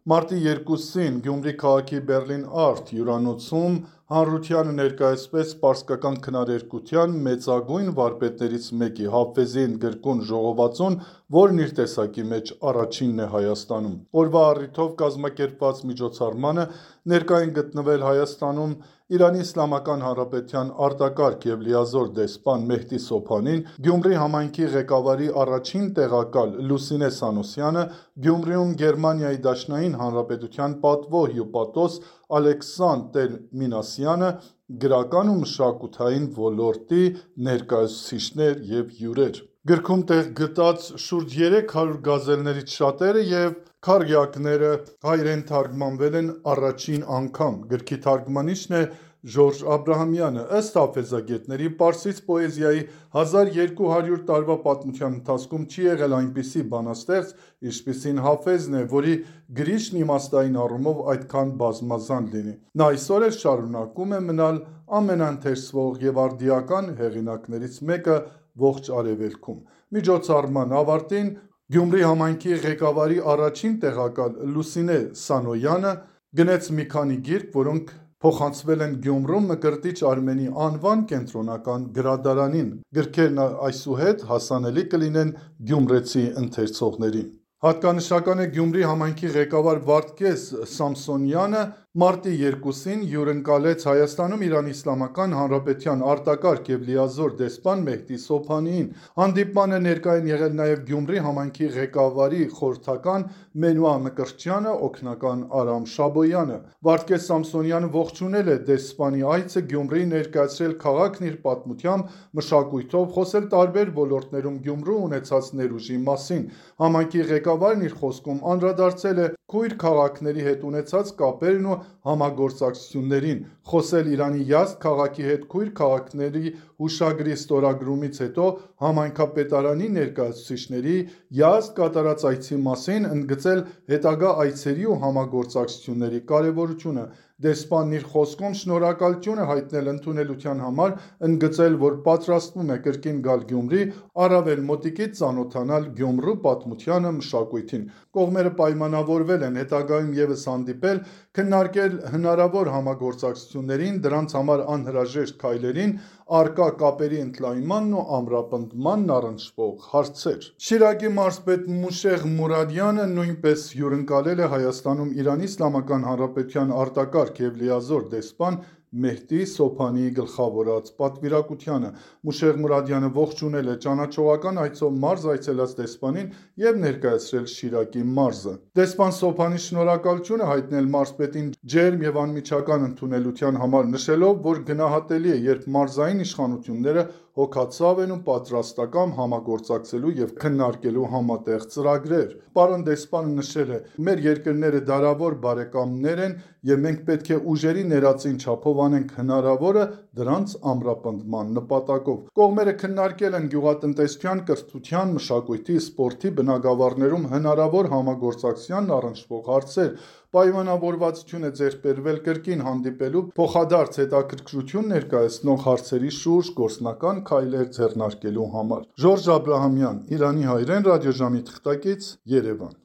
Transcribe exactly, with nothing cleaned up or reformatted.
Մարտի երկուսին Գյումրի քաղաքի Բեռլին Արտ հյուրանոցում հանրությանը ներկայացվեց պարսկական քնարերգության մեծագույն վարպետներից մեկի՝ Հաֆեզի ընդգրկուն ժողովածուն, որն իր տեսակի մեջ առաջինն է Հայաստանում։ Օրվա առիթով կազմակերպված միջոցառմանը ներկա են գտնվել Հայաստանում Իրանի Իսլամական Հանրապետության արտակարգ և լիազոր դեսպան Մեհդի Սոփանին, Գյումրի համայնքի ղեկավարի առաջին տեղակալ Լուսինե Սանոսյանը, Գյումրիում Գերմանիայի Դաշնային Հանրապետության պատվո հյուպատոս Ալեքսանդր Մինասյանը, գրական ու մշակութային ոլորտի ներկայացուցիչներ և հյուրեր։ Գրքում տեղ գտած շուրջ երեք հարյուր գազելներից շատերը և քառյակները հայերեն թարգմանվել են առաջին անգամ։ Գրքի թարգմանիչն է Ժորժ Աբրահամյանը։ Ըստ հաֆեզագետների, պարսից պոեզիայի հազար երկու հարյուր տարվա պատմության ընթացքում չի եղել այնպիսի բանաստեղծ, ինչպիսին Հաֆեզն է, որի գրիչն իմաստային առումով այդքան բազմազան լինի։ Նա այսօր էլ շարունակում է մնալ ամենաընթերցվող և արդիական հեղինակներից մեկը ողջ Արևելքում։ Միջոցառման ավարտին Գյումրի համայնքի ղեկավարի առաջին տեղակալ Լուսինե Սանոյանը գնեց մի քանի գիրք, որոնք փոխանցվել են Գյումրում Մկրտիչ Արմենի անվան կենտրոնական գրադարանին։ Գրքերն այսուհետ հասանելի կլինեն գյումրեցի ընթերցողներին։ Հատկանշական է Գյումրի համայնքի ղեկավար Վարդգես Սամսոնյանը մարտի երկուսին հյուրընկալեց Հայաստանում Իրանի Իսլամական Հանրապետության արտակարգ և լիազոր դեսպան Մեհդի Սոփանիին։ Հանդիպմանը ներկա են եղել նաև Գյումրի համայնքի ղեկավարի խորհրդական Մենուա Մկրտչյանը, օգնական Արամ Շաբոյանը։ Վարդգես Սամսոնյանը ողջունել է դեսպանի այցը Գյումրի, ներկայացրել քաղաքն իր պատմությամբ, մշակույթով, խոսել տարբեր ոլորտներում Գյումրու ունեցած ներուժի մասին։ Համայնքի ղեկավարն իր խոսքում անդրադարձել է քույր քաղաքների հետ ունեցած կապերն ու համագործակցություններին, խոսել Իրանի Յազդ քաղաքի հետ քույր քաղաքների հուշագրի ստորագրումից հետո համայնքապետարանի ներկայացուցիչների Յազդ կատարած այցի մասին, ընդգծել հետագա այցերի ու համագործակցությունների կարևորությունը։ Դեսպանն իր խոսքում շնորհակալություն է հայտնել ընդունելության համար, ընդգծել, որ պատրաստվում է կրկին գալ Գյումրի, առավել մոտիկից ծանոթանալ Գյումրու պատմությանը, մշակույթին։ Կողմերը պայմանավորվել են հետագայում ևս հանդիպել, քննարկել հնարավոր համագործակցություններին, դրանց համար անհրաժեշտ քայլերին, առկա կապերի ընդլայնմանն ու ամրապնդմանն առնչվող հարցեր։ Շիրակի մարզպետ Մուշեղ Մուրադյանը նույնպես հյուրընկալել է Հայաստանում Իրանի Իսլամական Հանրապետության արտակարգ և լիազոր դեսպան Մեհդի Սոփանիի գլխավորած պատվիրակությանը։ Մուշեղ Մուրադյանը ողջունել է ճանաչողական այցով մարզ այցելած դեսպանին և ներկայացրել Շիրակի մարզը։ Դեսպան Սոփանին շնորհակալություն է հայտնել մարզպետին ջերմ և անմիջական ընդունելության համար, նշելով, որ գնահատելի է, երբ մարզային իշխանությունները հոգացավ են ու պատրաստակամ համագործակցելու և քննարկելու համատեղ ծրագրեր։ Պարոն դեսպանը նշել է. «Մեր երկրները դարավոր բարեկամներ են և մենք պետք է ուժերի ներածին չափով անենք հնարավորը դրանց ամրապնդման նպատակով»։ Կողմերը քննարկել են գյուղատնտեսության, կրթության, մշակույթի, սպորտի բնագավառներում հնարավոր համագործակցությանն առնչվող հարցեր։ Պայմանավորվածություն է ձեռք բերվել կրկին հանդիպելու, փոխադարձ հետաքրքրություն ներկայացնող հարցերի շուրջ գործնական քայլեր ձեռնարկելու համար։ Ժորժ Աբրահամյան, Իրանի հայրեն ռադիոժամի թղթակից, Երևան։